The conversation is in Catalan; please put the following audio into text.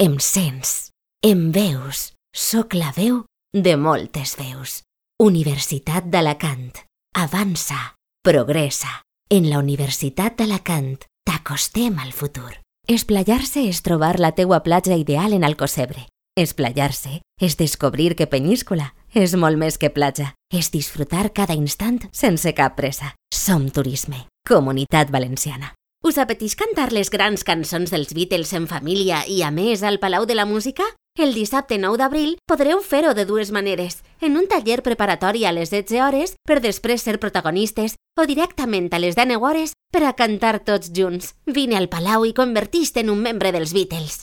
Em sents, em veus, soc la veu de moltes veus. Universitat d'Alacant. Avança, progressa. En la Universitat d'Alacant t'acostem al futur. Esplayar-se és trobar la teua platja ideal en Alcocebre. Esplayar-se és descobrir que Penyíscola és molt més que platja. És disfrutar cada instant sense cap pressa. Som Turisme, Comunitat Valenciana. Us apeteix cantar les grans cançons dels Beatles en família i, a més, al Palau de la Música? El dissabte 9 d'abril podreu fer-ho de dues maneres, en un taller preparatori a les 16 hores per després ser protagonistes o directament a les 19 hores per a cantar tots junts. Vine al Palau i converteix-te en un membre dels Beatles.